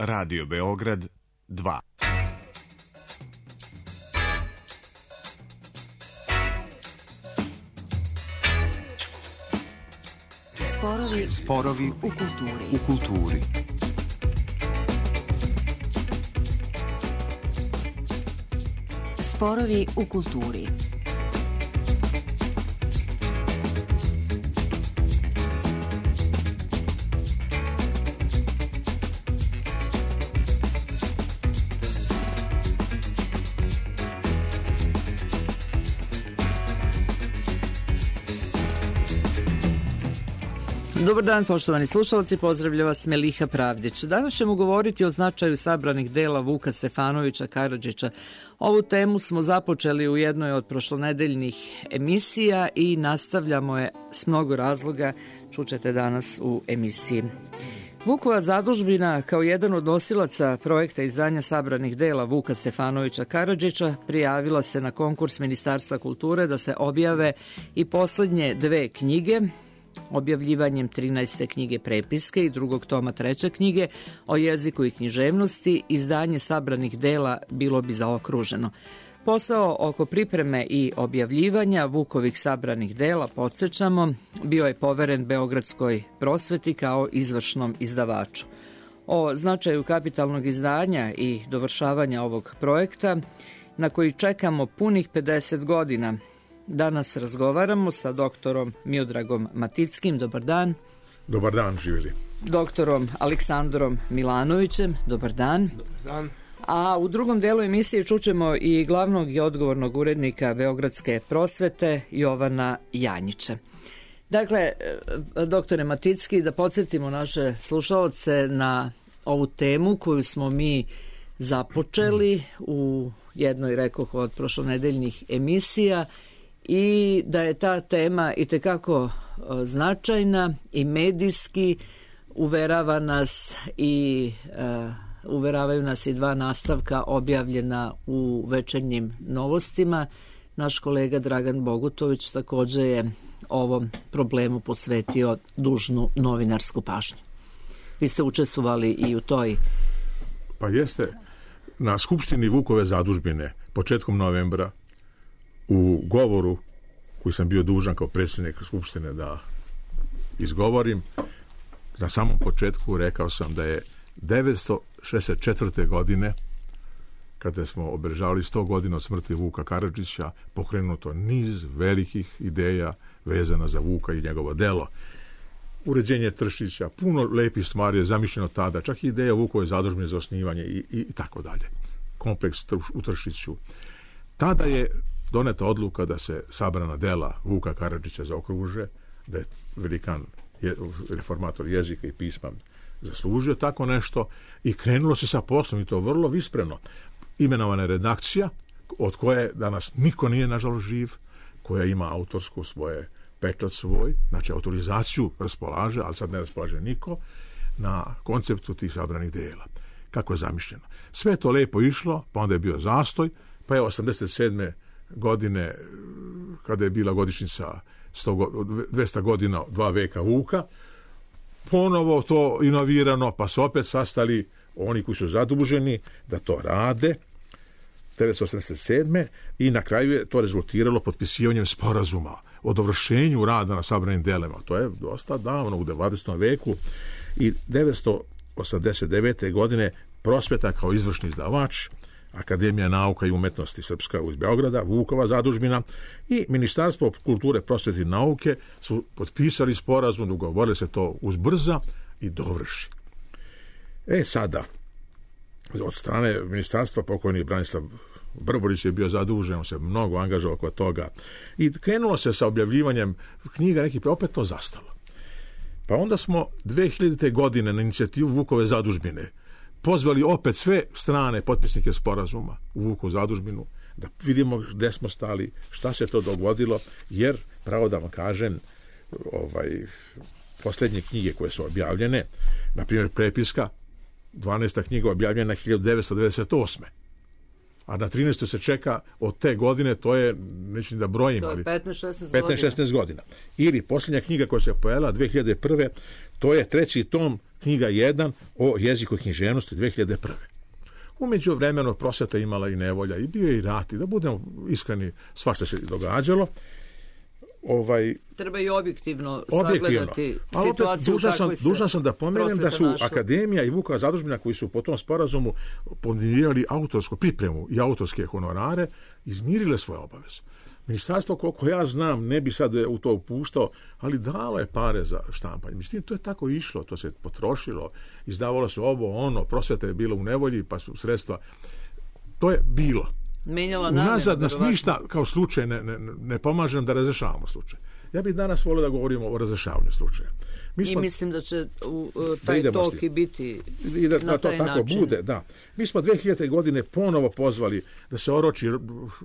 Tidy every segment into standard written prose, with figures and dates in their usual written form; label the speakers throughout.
Speaker 1: Radio Beograd 2.
Speaker 2: Sporovi u kulturi.
Speaker 3: Sporovi u kulturi.
Speaker 4: Dobar dan, poštovani slušalci, pozdravlja vas Meliha Pravdić. Danas ćemo govoriti o značaju sabranih dela Vuka Stefanovića Karadžića. Ovu temu smo započeli u jednoj od prošlonedeljnih emisija i nastavljamo je s mnogo razloga, čućete danas u emisiji. Vukova zadužbina, kao jedan od nosilaca projekta izdanja sabranih dela Vuka Stefanovića Karadžića, prijavila se na konkurs Ministarstva kulture da se objave i poslednje dve knjige, objavljivanjem 13. knjige prepiske i drugog toma 3. knjige o jeziku i književnosti. Izdanje sabranih dela bilo bi zaokruženo. Posao oko pripreme i objavljivanja Vukovih sabranih dela, podsjećamo, bio je poveren Beogradskoj prosveti kao izvršnom izdavaču. O značaju kapitalnog izdanja i dovršavanja ovog projekta, na koji čekamo punih 50 godina, danas razgovaramo sa doktorom Miodragom Matickim. Dobar dan.
Speaker 5: Dobar dan, živjeli.
Speaker 4: Doktorom Aleksandrom Milanovićem. Dobar dan.
Speaker 5: Dobar dan.
Speaker 4: A u drugom delu emisije čućemo i glavnog i odgovornog urednika Beogradske prosvete Jovana Janjića. Dakle, doktore Maticki, da podsjetimo naše slušaoce na ovu temu koju smo mi započeli u jednoj, rekoh, od prošlonedeljnih emisija, i da je ta tema itekako značajna i medijski uverava nas i uveravaju nas i dva nastavka objavljena u Večernjim novostima. Naš kolega Dragan Bogutović takođe je ovom problemu posvetio dužnu novinarsku pažnju. Vi ste učestvovali i u toj...
Speaker 5: Pa jeste. Na Skupštini Vukove zadužbine početkom novembra u govoru koji sam bio dužan kao predsjednik Skupštine da izgovorim, na samom početku rekao sam da je 1964. godine, kada smo obeležavali 100 godina od smrti Vuka Karadžića, pokrenuto niz velikih ideja vezana za Vuka i njegovo delo. Uređenje Tršića, puno lepih stvari je zamišljeno tada, čak i ideja Vukove zadužbine za osnivanje i tako dalje. Kompleks u Tršiću. Tada je doneta odluka da se sabrana dela Vuka Karadžića zaokruže, da je velikan reformator jezika i pisma zaslužio tako nešto i krenulo se sa poslom, i to vrlo vispreno. Imenovana je redakcija od koje danas niko nije nažalost živ, koja ima autorsku svoje pečat svoj, znači autorizaciju raspolaže, ali sad ne raspolaže niko, na konceptu tih sabranih dela. Kako je zamišljeno. Sve to lepo išlo, pa onda je bio zastoj, pa je 87. godine, kada je bila godišnjica 200 godina, 2 veka Vuka, ponovo to inovirano, pa su opet sastali oni koji su zaduženi da to rade 1987. i na kraju je to rezultiralo potpisivanjem sporazuma o dovršenju rada na sabranim delima. To je dosta davno, u 20. veku, i 1989. godine prosveta kao izvršni izdavač, Akademija nauka i umetnosti Srpska iz Beograda, Vukova zadužbina i Ministarstvo kulture, prosvete i nauke su potpisali sporazum, dogovorili se to uzbrza i dovrši. Sada, od strane ministarstva, pokojni Branislav Brborić je bio zadužen, on se mnogo angažovao oko toga i krenulo se sa objavljivanjem knjiga, neki opet to zastalo. Pa onda smo 2000. godine na inicijativu Vukove zadužbine pozvali opet sve strane potpisnike sporazuma u Vukovu zadužbinu da vidimo gde smo stali, šta se to dogodilo, jer pravo da vam kažem, posljednje knjige koje su objavljene, na primjer prepiska, 12. knjiga objavljena 1998. a na 13. se čeka od te godine, to je, neću da brojim,
Speaker 4: to je
Speaker 5: ali
Speaker 4: 15-16
Speaker 5: godina. Ili posljednja knjiga koja se pojavila 2001. to je 3. tom, knjiga 1 o jeziku i književnosti 2001. Umeđu vremenu prosveta imala i nevolja, i bio je i rat, i da budemo iskreni, svašta se događalo.
Speaker 4: Treba i objektivno sagledati situaciju u kakvoj se
Speaker 5: dužan sam da pomenem da su
Speaker 4: našla.
Speaker 5: Akademija i Vukova zadužbina koji su po tom sporazumu podmirivali autorsku pripremu i autorske honorare, izmirile svoje obaveze. Ministarstvo, koliko ja znam, ne bi sad u to upuštao, ali dalo je pare za štampanje. Mislim, to je tako išlo, to se potrošilo, izdavalo se ovo, prosveta je bilo u nevolji, pa su sredstva. To je bilo. Unazad nas ništa kao slučaj ne pomaže nam da razrešavamo slučaj. Ja bih danas volio da govorimo o razrešavanju slučaja.
Speaker 4: I mislim da će taj tok i biti na taj način.
Speaker 5: Tako bude, da. Mi smo 2000. godine ponovo pozvali da se oroči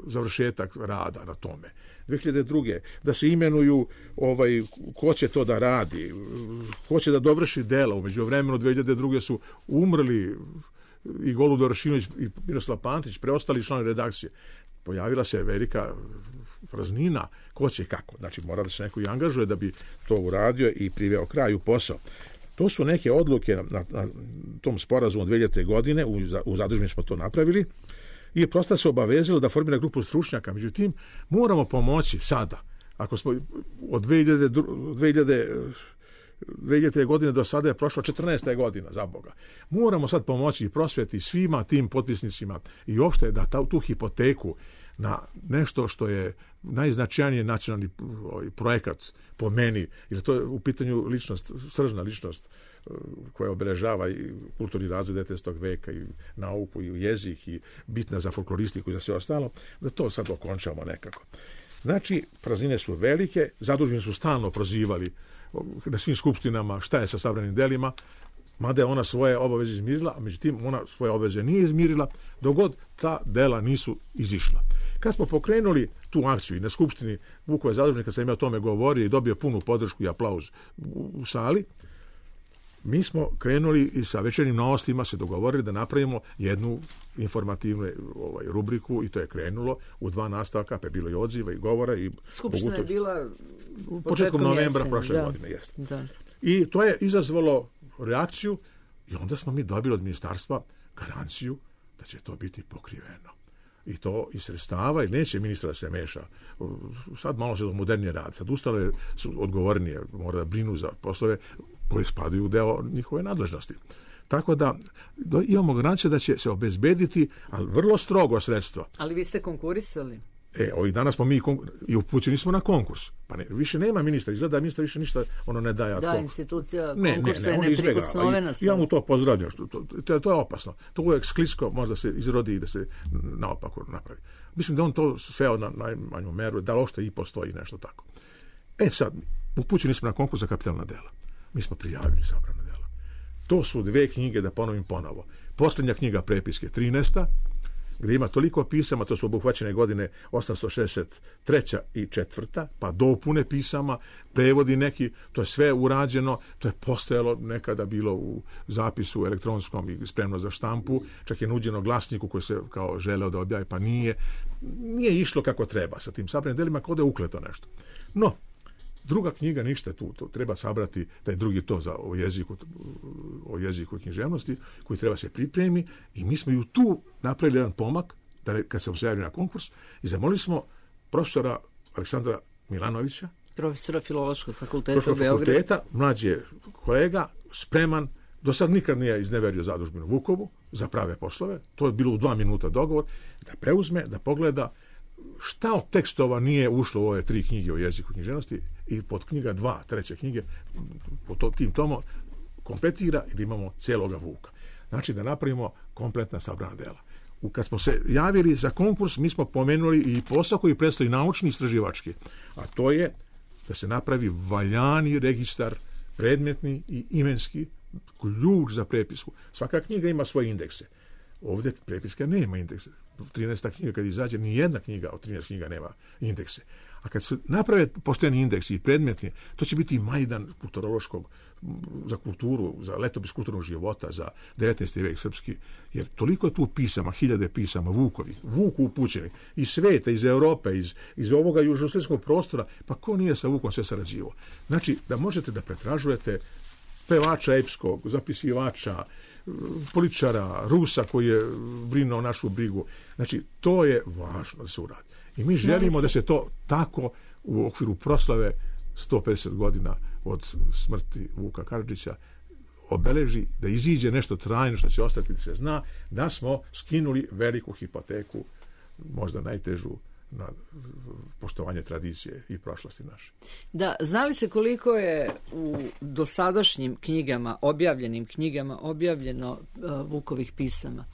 Speaker 5: završetak rada na tome. 2002. da se imenuju ko će to da radi, ko će da dovrši dela. Umeđu vremenu 2002. su umrli i Goludar Rašinović i Miroslav Pantić, preostali članovi redakcije. Pojavila se velika praznina, ko će i kako. Znači, mora da se neko i angažuje da bi to uradio i priveo kraju posao. To su neke odluke na tom sporazumu 2000. godine, u zadužbini smo to napravili, i prosto se obavezalo da formira grupu stručnjaka. Međutim, moramo pomoći sada. Ako smo od 2000. godine do sada je prošlo 14. godina, za Boga. Moramo sad pomoći i prosveti svima tim potpisnicima i uopšte da tu hipoteku na nešto što je najznačajniji nacionalni projekat po meni, jer to je u pitanju ličnost, sržna ličnost koja obeležava i kulturni razvoj 19. veka i nauku i jezik i bitna za folkloristiku i za sve ostalo, da to sad okončamo nekako. Znači, praznine su velike, zadužbini su stalno prozivali na svim skupštinama šta je sa sabranim delima, mada je ona svoje obaveze izmirila, a međutim ona svoje obaveze nije izmirila dok god ta dela nisu izišla. Kad smo pokrenuli tu akciju i na skupštini Vukove zadužbine, kad sam ja o tome govorio i dobio punu podršku i aplauz u sali, mi smo krenuli i sa Večernjim novostima se dogovorili da napravimo jednu informativnu rubriku i to je krenulo u 2 nastavka, pa je bilo i odziva i govora. I
Speaker 4: skupština je bila
Speaker 5: početkom novembra prošle godine. Jeste.
Speaker 4: Da.
Speaker 5: I to je izazvalo reakciju i onda smo mi dobili od ministarstva garanciju da će to biti pokriveno. I to iz sredstava i neće ministra da se meša. Sad malo se modernije radi. Sad ustale su odgovornije, mora da brinu za poslove koji spadaju u deo njihove nadležnosti. Tako da imamo garanciju da će se obezbediti, ali vrlo strogo sredstva.
Speaker 4: Ali vi ste konkurisali?
Speaker 5: Ovih dana smo mi i upućeni smo na konkurs. Pa više nema ministra, izgleda da ministar više ništa ne daje.
Speaker 4: Da, institucija konkursa je neprikosnovena.
Speaker 5: Ja mu to pozdravljam. To je opasno. To uvijek sklisko možda se izrodi i da se naopako napravi. Mislim da on to sveo na najmanju meru, da ošte i postoji nešto tako. Sad, upućeni smo na konkurs za kapitalna dela. Mi smo prijavili sabrana dela. To su 2 knjige, da ponovim ponovo. Posljednja knjiga prepiske 13. gdje ima toliko pisama, to su obuhvaćene godine 863. i 4. pa dopune pisama, prevodi neki, to je sve urađeno, to je postojalo nekada bilo u zapisu elektronskom i spremno za štampu, čak je nuđeno glasniku koji se kao želeo da objavi, pa nije išlo kako treba sa tim sabranim delima, kao da je ukleto nešto. No, druga knjiga ništa tu, to treba sabrati taj drugi to o jeziku i književnosti koji treba se pripremi i mi smo ju tu napravili jedan pomak kad sam se javio na konkurs i zamolili smo profesora Aleksandra Milanovića,
Speaker 4: profesora Filološkog fakulteta u Beogradu,
Speaker 5: mlađi kolega, spreman, do sad nikad nije izneverio zadužbinu Vukovu za prave poslove, to je bilo u 2 minuta dogovor, da preuzme, da pogleda šta od tekstova nije ušlo u ove 3 knjige o jeziku i književnosti i pod knjiga 2, 3. knjige po tim tomu kompletira i da imamo cijeloga Vuka. Znači da napravimo kompletna sabrana dela. Kad smo se javili za konkurs, mi smo pomenuli i posao koji predstoji naučni i istraživački, a to je da se napravi valjani registar predmetni i imenski, ključ za prepisku. Svaka knjiga ima svoje indekse. Ovdje prepiska nema indekse. 13. knjiga kad izađe, ni jedna knjiga od 13 knjiga nema indekse. A kad se naprave pošteni indeksi i predmetni, to će biti majdan kulturološkog za kulturu, za letopis kulturnog života, za 19. vek srpski, jer toliko je tu pisama, hiljade pisama, Vuku upućeni, iz sveta, iz Europe, iz ovoga južnoslovenskog prostora, pa ko nije sa Vukom sve sarađivo? Znači, da možete da pretražujete pevača epskog, zapisivača, političara, Rusa koji je brinuo našu brigu. Znači, to je važno da se uradi. I mi želimo da se to tako u okviru proslave 150 godina od smrti Vuka Karadžića obeleži, da iziđe nešto trajno što će ostati, da se zna da smo skinuli veliku hipoteku, možda najtežu, na poštovanje tradicije i prošlosti naše.
Speaker 4: Da, znali se koliko je u dosadašnjim knjigama, objavljenim knjigama, objavljeno Vukovih pisama?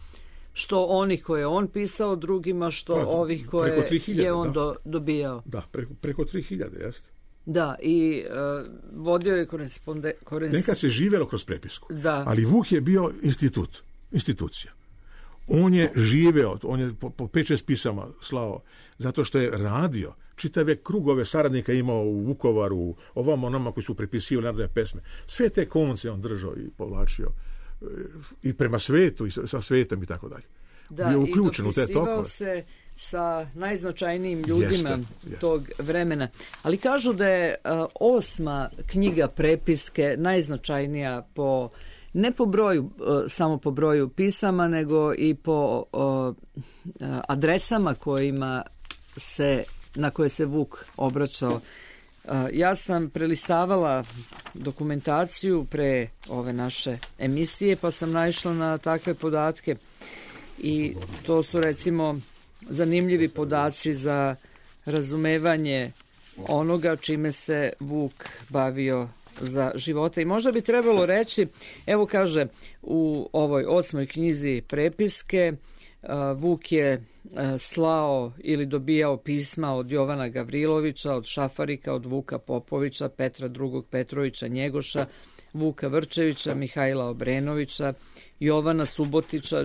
Speaker 4: Što onih koje je on pisao drugima, što ovih koje 3000, je on dobijao?
Speaker 5: Da, preko 3000, jeste.
Speaker 4: Da, i vodio je
Speaker 5: Nekad se živelo kroz prepisku,
Speaker 4: da.
Speaker 5: Ali Vuk je bio institucija. On je živeo, on je po 5-6 pisama slao, zato što je radio, čitave krugove saradnika imao u Vukovaru, ovamo onama koji su prepisivali narodne pesme. Sve te konce on držao i povlačio i prema svetu i sa svetom i tako dalje.
Speaker 4: Da,
Speaker 5: bio uključen u te tokove.
Speaker 4: I dopisivao se sa najznačajnijim ljudima tog vremena. Ali kažu da je 8. knjiga prepiske najznačajnija po, ne po broju, samo po broju pisama, nego i po adresama na koje se Vuk obraćao. Ja sam prelistavala dokumentaciju pre ove naše emisije, pa sam naišla na takve podatke i to su recimo zanimljivi podaci za razumevanje onoga čime se Vuk bavio za života. I možda bi trebalo reći, evo kaže u ovoj 8. knjizi prepiske, Vuk je slao ili dobijao pisma od Jovana Gavrilovića, od Šafarika, od Vuka Popovića, Petra II. Petrovića Njegoša, Vuka Vrčevića, Mihajla Obrenovića, Jovana Subotića,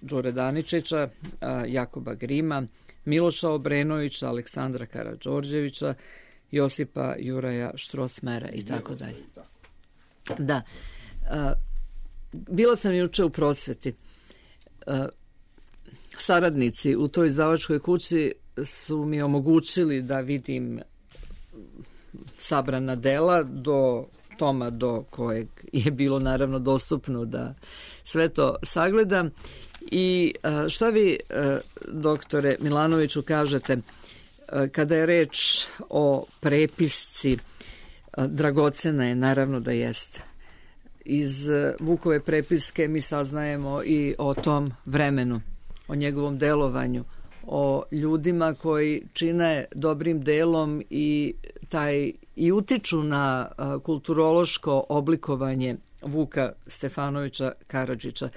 Speaker 4: Đure Daničića, Jakoba Grima, Miloša Obrenovića, Aleksandra Karađorđevića, Josipa Juraja Štrosmera i tako dalje. Da. Bila sam juče u prosveti. Saradnici u toj izdavačkoj kući su mi omogućili da vidim sabrana dela do toma do kojeg je bilo naravno dostupno da sve to sagledam. I šta vi, doktore Milanoviću, kažete kada je reč o prepisci? Dragocena je, naravno da jeste. Iz Vukove prepiske mi saznajemo i o tom vremenu, o njegovom delovanju, o ljudima koji čine dobrim delom i utiču na kulturološko oblikovanje Vuka Stefanovića Karadžića.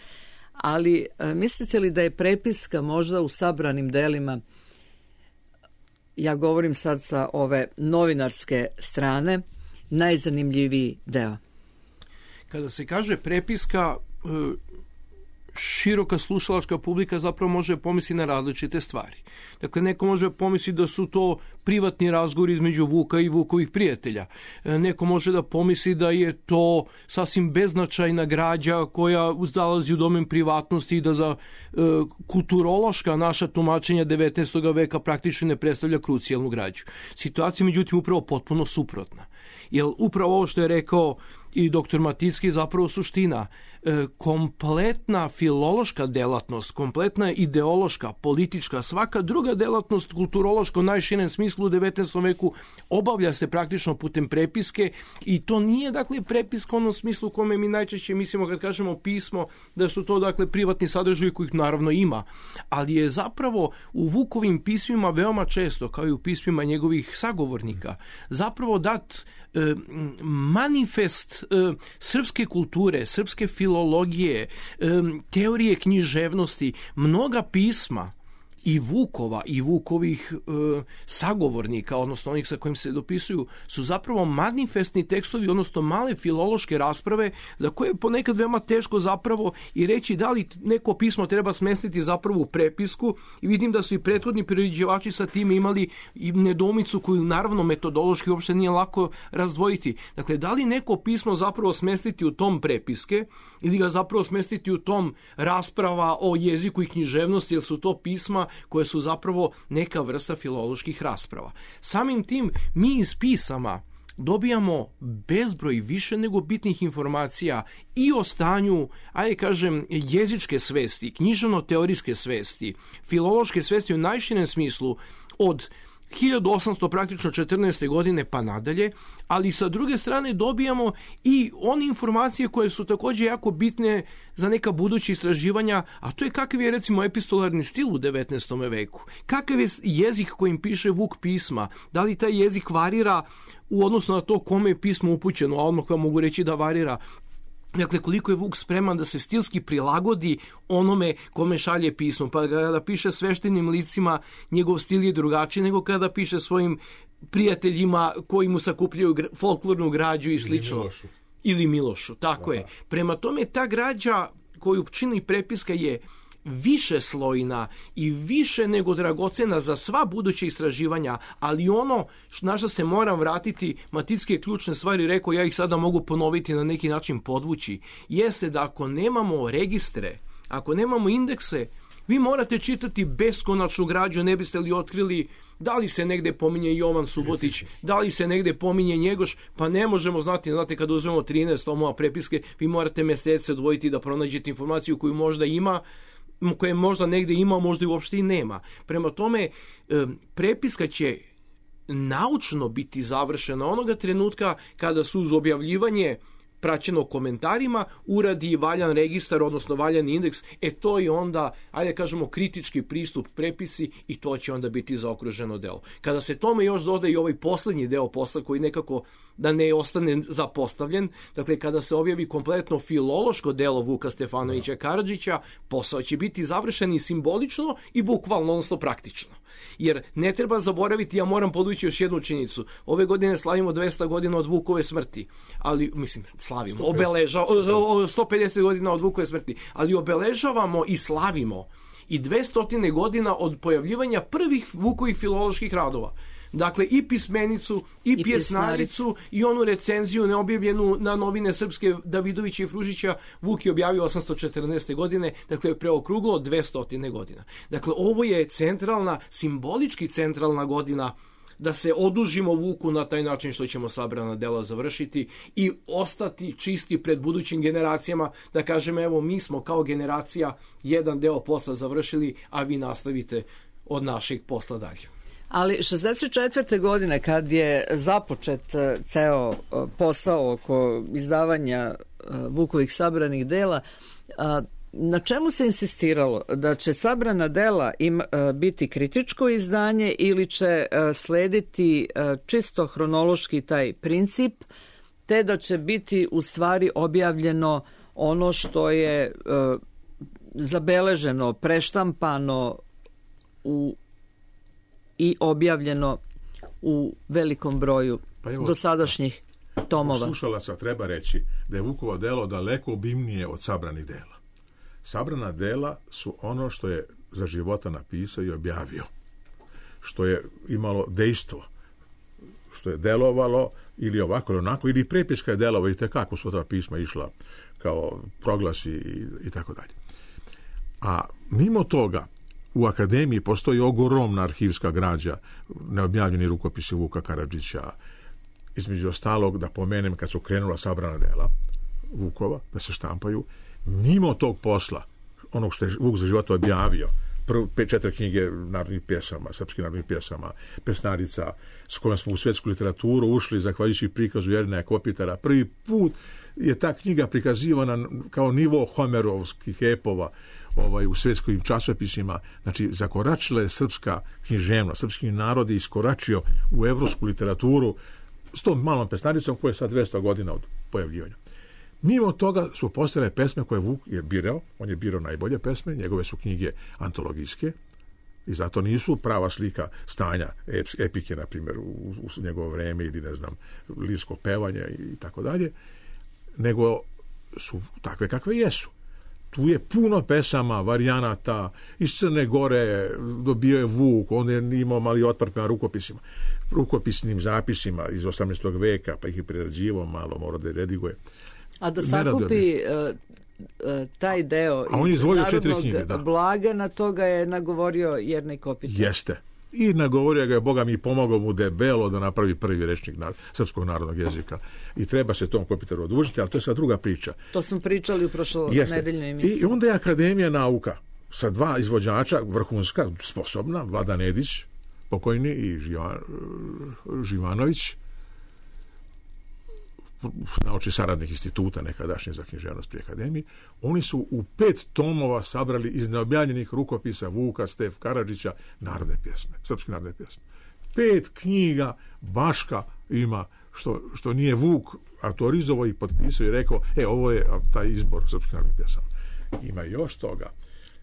Speaker 4: Ali mislite li da je prepiska možda u sabranim delima, ja govorim sad sa ove novinarske strane, najzanimljiviji deo?
Speaker 3: Kada se kaže prepiska, široka slušalačka publika zapravo može pomisliti na različite stvari. Dakle, neko može pomisliti da su to privatni razgovori između Vuka i Vukovih prijatelja. Neko može da pomisli da je to sasvim beznačajna građa koja uzdalazi u domen privatnosti i da za kulturološka naša tumačenja 19. veka praktično ne predstavlja krucijalnu građu. Situacija, međutim, upravo potpuno suprotna. Jer upravo ovo što je rekao i doktor Maticki je zapravo suština. Kompletna filološka delatnost, kompletna ideološka, politička, svaka druga delatnost kulturološka u najširem smislu u 19. veku obavlja se praktično putem prepiske i to nije dakle prepiska u onom smislu u kome mi najčešće mislimo kad kažemo pismo da su to dakle privatni sadržaji kojih naravno ima, ali je zapravo u Vukovim pismima veoma često, kao i u pismima njegovih sagovornika, zapravo dat manifest srpske kulture, srpske filologije, teorije književnosti. Mnoga pisma i Vukova i Vukovih sagovornika, odnosno onih sa kojim se dopisuju, su zapravo manifestni tekstovi, odnosno male filološke rasprave za koje je ponekad veoma teško zapravo i reći da li neko pismo treba smestiti zapravo u prepisku, i vidim da su i prethodni priređivači sa tim imali i nedoumicu koju naravno metodološki uopšte nije lako razdvojiti. Dakle, da li neko pismo zapravo smestiti u tom prepiske ili ga zapravo smestiti u tom rasprava o jeziku i književnosti, jer su to pisma koje su zapravo neka vrsta filoloških rasprava. Samim tim mi iz pisama dobijamo bezbroj više nego bitnih informacija i o stanju, ajde kažem, jezičke svesti, književno-teorijske svesti, filološke svesti u najširem smislu od 1800 praktično 14. godine pa nadalje, ali sa druge strane dobijamo i one informacije koje su također jako bitne za neka buduća istraživanja, a to je kakav je recimo epistolarni stil u 19. veku, kakav je jezik kojim piše Vuk pisma, da li taj jezik varira u odnosu na to kome je pismo upućeno, a odmah vam mogu reći da varira. Dakle, koliko je Vuk spreman da se stilski prilagodi onome kome šalje pismo. Pa kada piše sveštenim licima, njegov stil je drugačiji nego kada piše svojim prijateljima koji mu sakupljaju folklornu građu i slično. Ili Milošu, tako je. Prema tome, ta građa koju čini prepiska je više slojna i više nego dragocena za sva buduća istraživanja, ali ono na što se moram vratiti, Maticke ključne stvari, rekao, ja ih sada mogu ponoviti na neki način podvući, jeste da ako nemamo registre, ako nemamo indekse, vi morate čitati beskonačnu građu, ne biste li otkrili da li se negde pominje Jovan Subotić, da li se negde pominje Njegoš, pa ne možemo znati, znate, kada uzmemo 13 tomova prepiske, vi morate mesece odvojiti da pronađete informaciju koju možda ima, koje možda negde ima, možda i uopšte i nema. Prema tome, prepiska će naučno biti završena onoga trenutka kada su uz objavljivanje praćeno komentarima uradi valjan registar, odnosno valjan indeks, to je onda, ajde kažemo, kritički pristup prepisi i to će onda biti zaokruženo delo. Kada se tome još doda i ovaj poslednji deo posla koji nekako da ne ostane zapostavljen, dakle kada se objavi kompletno filološko delo Vuka Stefanovića Karadžića, posao će biti završen i simbolično i bukvalno, odnosno praktično. Jer ne treba zaboraviti, ja moram podvući još jednu činjenicu. Ove godine slavimo 200 godina od Vukove smrti, ali, slavimo, 150 godina od Vukove smrti, ali obeležavamo i slavimo i 200 godina od pojavljivanja prvih Vukovih filoloških radova. Dakle, i pismenicu, i pjesnaricu, i onu recenziju neobjavljenu na novine srpske Davidovića i Fružića, Vuk je objavio 814. godine, dakle, preokruglo 200 godina. Dakle, ovo je centralna, simbolički centralna godina da se odužimo Vuku na taj način što ćemo sabrana dela završiti i ostati čisti pred budućim generacijama, da kažem, evo, mi smo kao generacija jedan deo posla završili, a vi nastavite od našeg posla dalje.
Speaker 4: Ali 64. godine, kad je započet ceo posao oko izdavanja Vukovih sabranih dela, na čemu se insistiralo? Da će sabrana dela biti kritičko izdanje ili će slediti čisto hronološki taj princip, te da će biti u stvari objavljeno ono što je zabeleženo, preštampano i objavljeno u velikom broju dosadašnjih tomova.
Speaker 5: Slušalaca treba reći da je Vukovo delo daleko obimnije od sabranih dela. Sabrana dela su ono što je za života napisao i objavio, što je imalo dejstvo, što je delovalo ili ovako ili onako, ili prepiska je delova i tekako su ta pisma išla kao proglasi i tako dalje. A mimo toga, u akademiji postoji ogromna arhivska građa, neobjavljeni rukopisi Vuka Karadžića, između ostalog, da pomenem, kad su krenula sabrana dela Vukova, da se štampaju, mimo tog posla, onog što je Vuk za života objavio, 4 knjige narodnih pjesama, srpskih narodnih pjesama, pesnarica, s kojom smo u svetsku literaturu ušli, zahvaljujući prikazu Jerneja Kopitara. Prvi put je ta knjiga prikazivana kao nivo homerovskih epova u svetskim časopisima. Znači, zakoračila je srpska književnost, srpski narod je iskoračio u evropsku literaturu s tom malom pesnaricom koja je sad 200 godina od pojavljivanja. Mimo toga su postojale pesme koje Vuk je birao, on je birao najbolje pesme, njegove su knjige antologijske, I zato nisu prava slika stanja epike, na primjer, u njegovo vreme ili, ne znam, lirsko pevanje i tako dalje, nego su takve kakve jesu. Tu je puno pesama, varijanata, iz Crne Gore dobio je Vuk, on je imao mali otpor prema rukopisnim zapisima iz 18. veka, pa ih je prerađivao malo, mora da je rediguje.
Speaker 4: A da sakupi taj deo iz narodnog blaga, na toga je nagovorio Jernej Kopitar.
Speaker 5: Jeste. I nagovorio ga je, Boga mi, pomogao mu debelo da napravi prvi rečnik srpskog narodnog jezika. I treba se tom Kopitaru odužiti, ali to je sad druga priča.
Speaker 4: To smo pričali u prošlonedeljnoj emisiji.
Speaker 5: I onda je Akademija nauka sa 2 izvođača, vrhunska, sposobna, Vladan Edić, pokojni, i Živanović, naučni saradnik instituta nekadašnje za književnost pri Akademiji. Oni su u 5 tomova sabrali iz neobjavljenih rukopisa Vuka, Stef Karadžića narodne pjesme, srpske narodne pjesme. 5 knjiga Baška ima, što nije Vuk autorizovao i potpisao i rekao, ovo je taj izbor srpskih narodnih pjesama. Ima još toga.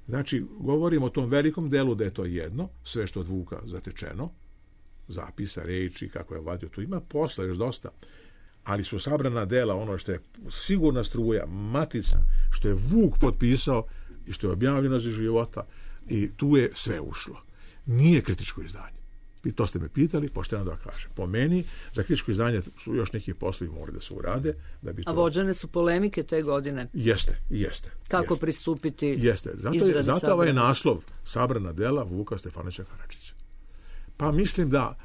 Speaker 5: Znači, govorimo o tom velikom delu da je to jedno, sve što od Vuka zatečeno, zapisa, reči, kako je vadio, tu ima posla još dosta. Ali su sabrana dela, ono što je sigurna struja, matica, što je Vuk potpisao i što je objavljeno za života, i tu je sve ušlo. Nije kritičko izdanje. I to ste me pitali, pošteno da kažem. Po meni, za kritičko izdanje su još neki poslovi morali da se urade. Da bi to...
Speaker 4: A vođene su polemike te godine?
Speaker 5: Jeste.
Speaker 4: Kako pristupiti?
Speaker 5: Jeste. Zato ovaj je naslov sabrana dela Vuka Stefanovića Karadžića. Pa mislim da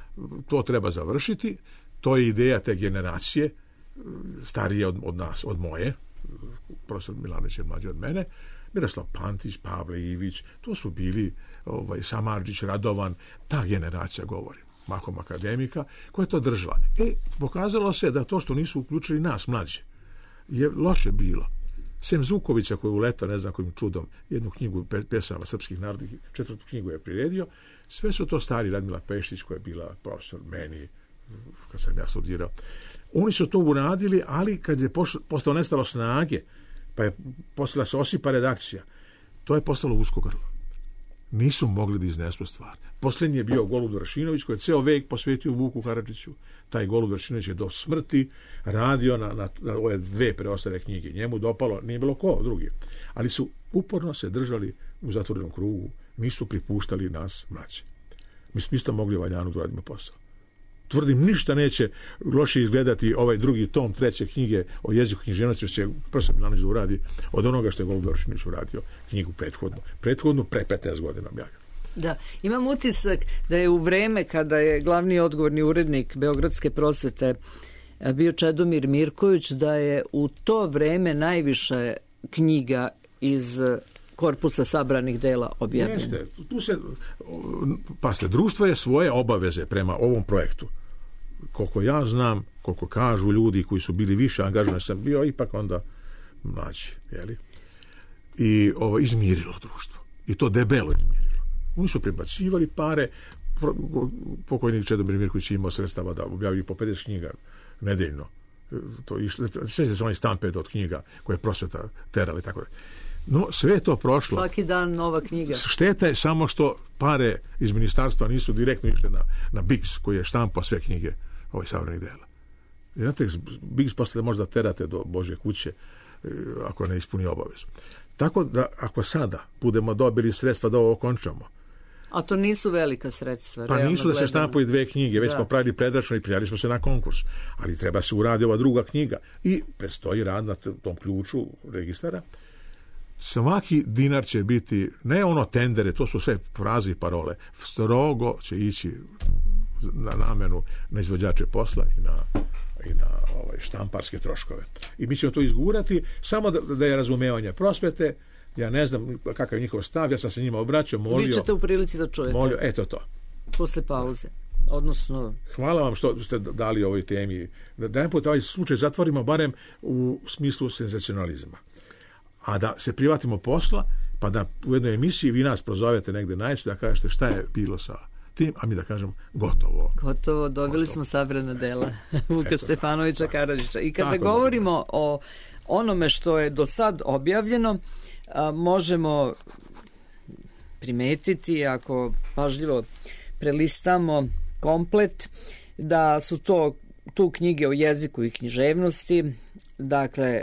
Speaker 5: to treba završiti. To je ideja te generacije, starije od nas, od moje, profesor Milanović je mlađi od mene, Miroslav Pantić, Pavle Ivić, to su bili Samardžić, Radovan, ta generacija, govori, mahom akademika, koja je to držala. Pokazalo se da to što nisu uključili nas, mlađe, je loše bilo. Sem Zukovića, koji je uletao, ne znam kojim čudom, jednu knjigu pesama srpskih narodnih, 4. knjigu je priredio, sve su to stari, Radmila Peštić, koja je bila profesor meni, kad sam ja studirao. Oni su to uradili, ali kad je postalo nestalo snage, pa je postala se osipa redakcija, to je postalo usko grlo. Nisu mogli da iznesu stvar. Posljednji je bio Golub Vršinović, koji je ceo vek posvetio Vuku Karadžiću. Taj Golub Vršinović je do smrti radio na ove 2 preostale knjige. Njemu dopalo, nije bilo ko drugi. Ali su uporno se držali u zatvorenom krugu, nisu pripuštali nas mlađe. Mi smo isto mogli valjano da radimo posao. Tvrdim, ništa neće loše izgledati ovaj drugi tom 3. knjige o jeziku književnosti, što će profesor Milanović da uradi od onoga što je Golub Vršinović uradio knjigu prethodnu pre 15 godina objavio.
Speaker 4: Da, imam utisak da je u vreme kada je glavni odgovorni urednik Beogradske prosvete bio Čedomir Mirković, da je u to vreme najviše knjiga iz korpusa sabranih dela objavljeno.
Speaker 5: Jeste, društvo je svoje obaveze prema ovom projektu. Koliko ja znam, koliko kažu ljudi koji su bili više angažovani, sam bio ipak onda mlađi, jeli? I izmirilo društvo. I to debelo izmirilo. Oni su prebacivali pare, pokojnik Čedomir Mirković imao sredstava da objavili po 50 knjiga nedeljno. To išlo, sve se oni stampede od knjiga koje prosveta terali, tako da. No, sve je to prošlo.
Speaker 4: Svaki dan nova knjiga.
Speaker 5: Šteta je samo što pare iz ministarstva nisu direktno išle na Biggs, koji je štampao sve knjige sabranih dela. I znate, Biggs posle možda terate do Božje kuće ako ne ispuni obavezu. Tako da, ako sada budemo dobili sredstva da ovo okončamo.
Speaker 4: A to nisu velika sredstva.
Speaker 5: Pa nisu da se štampaju 2 knjige, već smo pravili predračno i prijavili smo se na konkurs. Ali treba se uradi ova druga knjiga. I predstoji rad na tom ključu registara. Svaki dinar će biti, ne ono tendere, to su sve fraze i parole, strogo će ići na namenu na izvođače posla i na štamparske troškove. I mi ćemo to izgurati, samo da je razumevanje prosvete. Ja ne znam kakav je njihov stav, ja sam se njima obraćao, molio.
Speaker 4: Vi ćete u prilici da čujete.
Speaker 5: Molio, eto to.
Speaker 4: Posle pauze. Odnosno...
Speaker 5: Hvala vam što ste dali ovoj temi. Da jedan put ovaj slučaj zatvorimo barem u smislu senzacionalizma. A da se privatimo posla, pa da u jednoj emisiji vi nas prozovete negde najče da kažete šta je bilo sa tim, a mi da kažem gotovo.
Speaker 4: Dobili smo sabrana dela Vuka Stefanovića Karadžića. I kada govorimo o onome što je do sad objavljeno, možemo primetiti ako pažljivo prelistamo komplet, da su tu knjige o jeziku i književnosti, dakle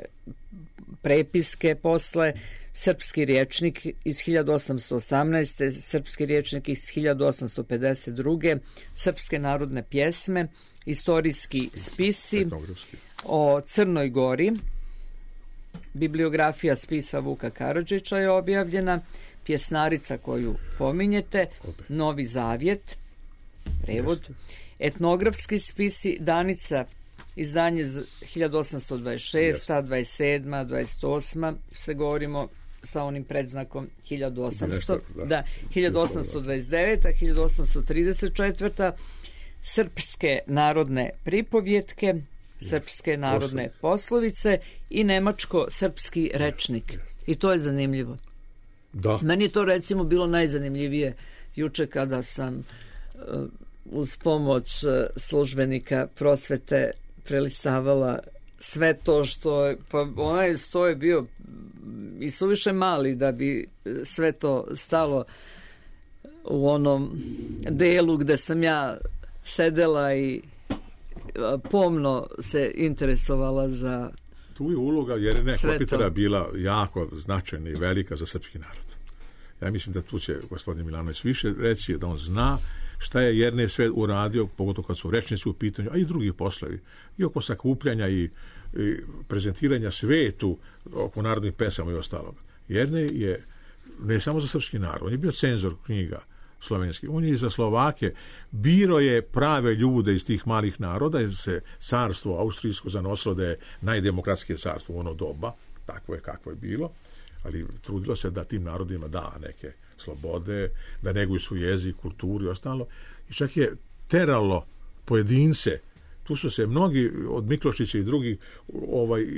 Speaker 4: prepiske posle, srpski rječnik iz 1818. Srpski rječnik iz 1852. Srpske narodne pjesme, istorijski spisi o Crnoj Gori, bibliografija spisa Vuka Karadžića je objavljena, pjesnarica koju pominjete, Novi Zavjet, prevod, etnografski spisi, Danica, izdanje 1826, 27, 28, se govorimo sa onim predznakom 1800, 1829, 1834, srpske narodne pripovjetke, srpske narodne poslovice i nemačko-srpski rečnik. I to je zanimljivo.
Speaker 5: Da.
Speaker 4: Meni je to recimo bilo najzanimljivije juče kada sam uz pomoć službenika prosvete prelistavala sve to što je, pa onaj sto je bio i suviše mali da bi sve to stalo u onom delu gde sam ja sedela i pomno se interesovala za
Speaker 5: tu je uloga Jerene Kopitara bila jako značajna i velika za srpski narod. Ja mislim da tu će gospodin Milanović više reći, da on zna šta je Jernej sve uradio, pogotovo kad su rečnici u pitanju, a i drugi poslovi. I oko sakupljanja i prezentiranja svetu oko narodnih pesama i ostalog. Jernej je ne samo za srpski narod, on je bio cenzor knjiga slovenskih, on je i za Slovake, biro je prave ljude iz tih malih naroda, jer se carstvo austrijsko zanosilo da je najdemokratskije carstvo u ono doba, takvo je kakvo je bilo, ali trudilo se da tim narodima da neke slobode, da neguju svoj jezik, kulturu i ostalo. I čak je teralo pojedince, tu su se mnogi od Miklošića i drugih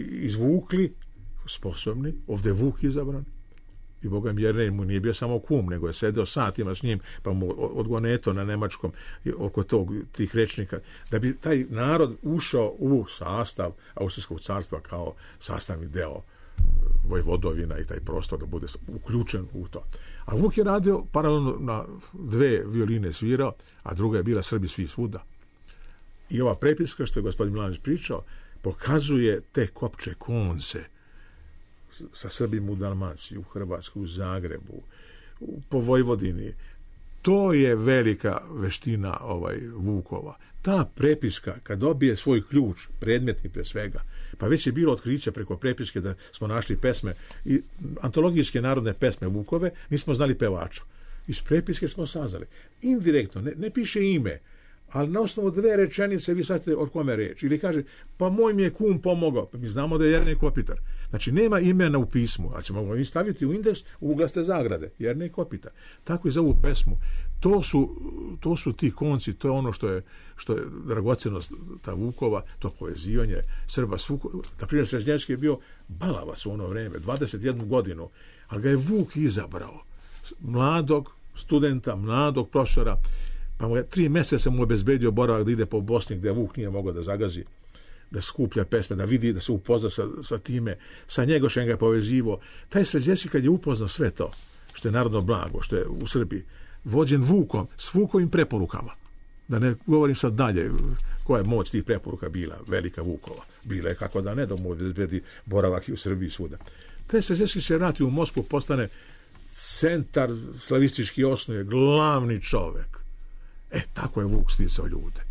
Speaker 5: izvukli, sposobni, ovdje je Vuk izabran, i Boga mi Jernej mu nije bio samo kum, nego je sedeo satima s njim, pa mu odgoneto na nemačkom oko tih rečnika, da bi taj narod ušao u sastav Austrijskog carstva kao sastavni deo Vojvodovina i taj prostor da bude uključen u to. A Vuk je radio paralelno na dve violine svirao, a druga je bila Srbi svi svuda. I ova prepiska što je gospodin Milanović pričao pokazuje te kopče konce sa Srbima u Dalmaciji, u Hrvatskoj, u Zagrebu, po Vojvodini. To je velika veština Vukova. Ta prepiska, kad dobije svoj ključ, predmetni pre svega, pa već je bilo otkriće preko prepiske da smo našli pesme i antologijske narodne pesme Vukove, nismo znali pevača. Iz prepiske smo saznali. Indirektno, ne piše ime, ali na osnovu dve rečenice vi shvatite o kome reč. Ili kaže, pa moj mi je kum pomogao. Pa mi znamo da je Jernej Kopitar. Znači, nema imena u pismu, ali ćemo ga staviti u indeks u uglaste zagrade. Jernej Kopitar. Tako i za ovu pesmu. To su ti konci, to je ono što je dragocenost ta Vukova, to povezivanje Srba s Vukom. Naprimjer, Sreznjevski je bio balavac u ono vreme, 21 godinu, ali ga je Vuk izabrao. Mladog studenta, mladog profesora, pa mu je 3 mjeseca mu obezbedio boravak da ide po Bosni gdje Vuk nije mogao da zagazi, da skuplja pesme, da vidi, da se upozna sa time, sa Njegošem ga je povezivo. Taj Sređevski kad je upoznao sve to, što je narodno blago, što je u Srbiji, vođen Vukom, s Vukovim preporukama. Da ne govorim sad dalje koja je moć tih preporuka bila, velika Vukova. Bila je kako da ne, da mu obezbedi boravak i u Srbiji svuda. Taj Sređevski se vrati u Moskvu, postane centar slavistički osnuje, glavni čovek. Tako je Vuk sticao ljude.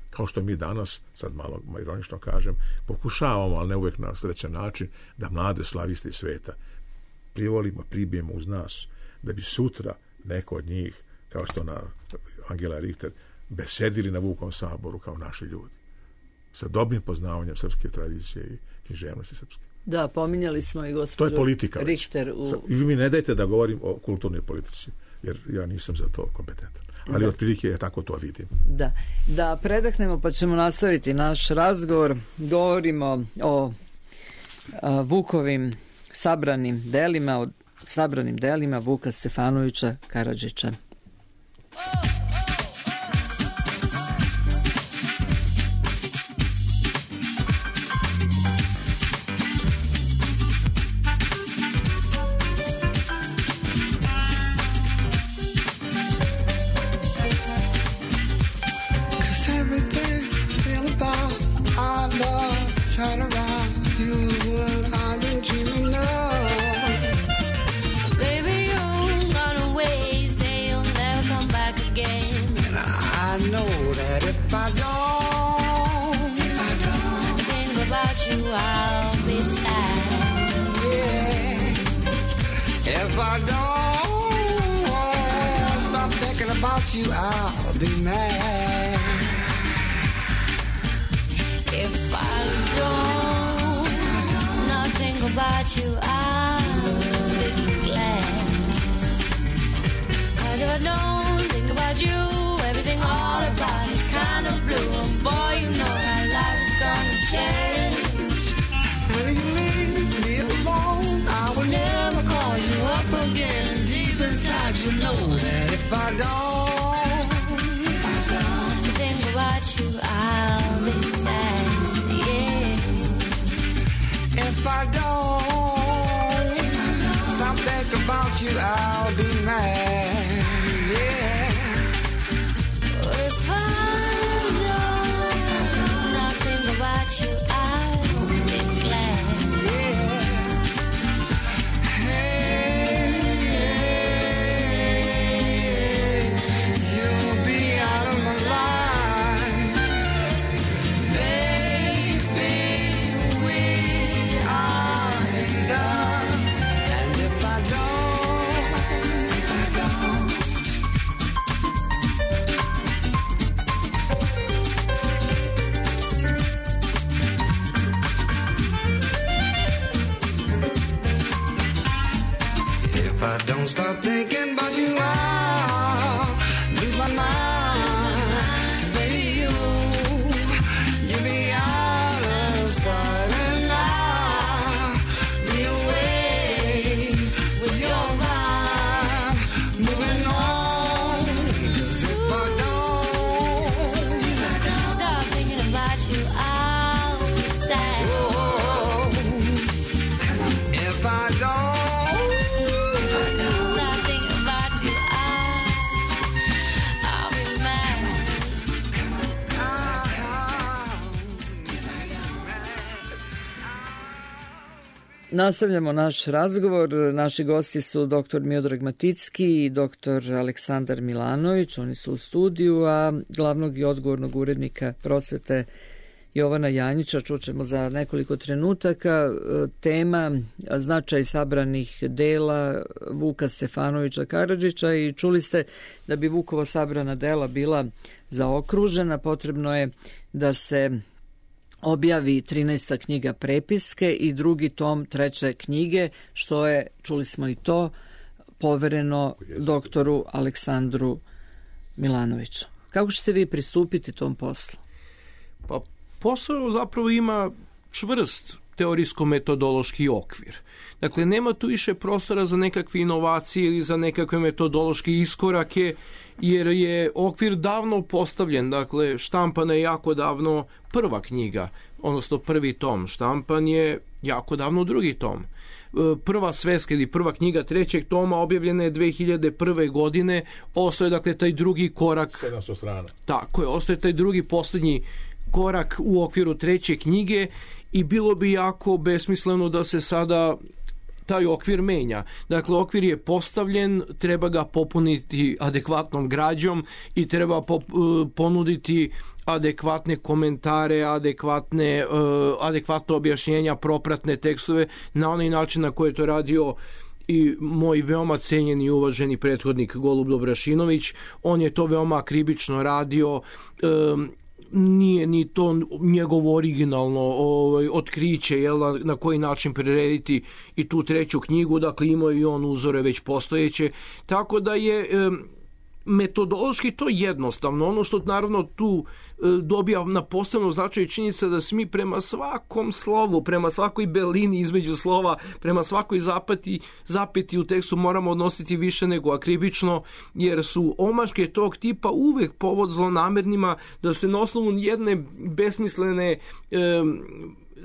Speaker 5: Kao što mi danas, sad malo ironično kažem, pokušavamo, ali ne uvijek na srećan način, da mlade slaviste sveta privolimo, pribijemo uz nas, da bi sutra neko od njih, kao što na Angela Richter, besedili na Vukovom saboru kao naši ljudi. Sa dobrim poznavanjem srpske tradicije i književnosti srpske.
Speaker 4: Da, pominjali smo i gospođu
Speaker 5: to je politika
Speaker 4: Richter.
Speaker 5: I vi mi ne dajte da govorim o kulturnoj politici, jer ja nisam za to kompetentan. Ali otprilike je tako to vidim.
Speaker 4: Da predahnemo pa ćemo nastaviti naš razgovor. Govorimo o Vukovim sabranim delima Vuka Stefanovića Karadžića.
Speaker 6: about you, I'll be mad. If I don't not think about you, I'll be glad. 'Cause if I don't think about you, everything all about is kind of blue. And boy, you know how life is gonna change. And if you leave me alone, I will never call you up again. Deep inside you know that if I don't think about you, I'll be sad, yeah. If I don't stop thinking about you, I'll be mad, yeah. If I don't not think about you, I'll be glad, yeah. Hey, you'll be out of my life, baby. We are in love, and if I don't if I don't stop thinking about you, I'll lose my mind. 'Cause baby, you'll be out of sight, and I'll be away with your mind, moving on. 'Cause if I don't stop thinking about you, I'll be sad. Oh, if I don't stop thinking about you, I'll be mad.
Speaker 4: Nastavljamo naš razgovor. Naši gosti su dr. Miodrag Maticki i dr. Aleksandar Milanović. Oni su u studiju, a glavnog i odgovornog urednika prosvete Jovana Janjića čućemo za nekoliko trenutaka. Tema značaj sabranih dela Vuka Stefanovića Karadžića, i čuli ste da bi Vukova sabrana dela bila zaokružena, potrebno je da se objavi 13. knjiga prepiske i drugi tom 3. knjige, što je, čuli smo i to, povereno doktoru Aleksandru Milanoviću. Kako ćete vi pristupiti tom poslu?
Speaker 3: Pa posao zapravo ima čvrst teorijsko-metodološki okvir. Dakle, nema tu više prostora za nekakve inovacije ili za nekakve metodološke iskorake, jer je okvir davno postavljen. Dakle, štampana je jako davno prva knjiga, odnosno prvi tom. Štampan je jako davno drugi tom. Prva sveska ili prva knjiga 3. toma objavljena je 2001. godine. Ostaje, dakle, taj drugi korak.
Speaker 5: 700 strana.
Speaker 3: Tako je, ostaje taj drugi posljednji korak u okviru 3. knjige i bilo bi jako besmisleno da se sada taj okvir menja. Dakle, okvir je postavljen, treba ga popuniti adekvatnom građom i treba ponuditi adekvatne komentare, adekvatno objašnjenja, propratne tekstove na onaj način na koji je to radio i moj veoma cenjeni i uvaženi prethodnik Golub Dobrašinović. On je to veoma akribično radio, nije ni to njegovo originalno otkriće, na koji način prirediti i tu 3. knjigu, dakle imao i on uzore već postojeće, tako da je metodološki to jednostavno. Ono što naravno tu dobija na posebno značaj činjenica da se mi prema svakom slovu, prema svakoj belini između slova, prema svakoj zapeti u tekstu moramo odnositi više nego akribično, jer su omaške tog tipa uvek povod zlonamernima da se na osnovu jedne besmislene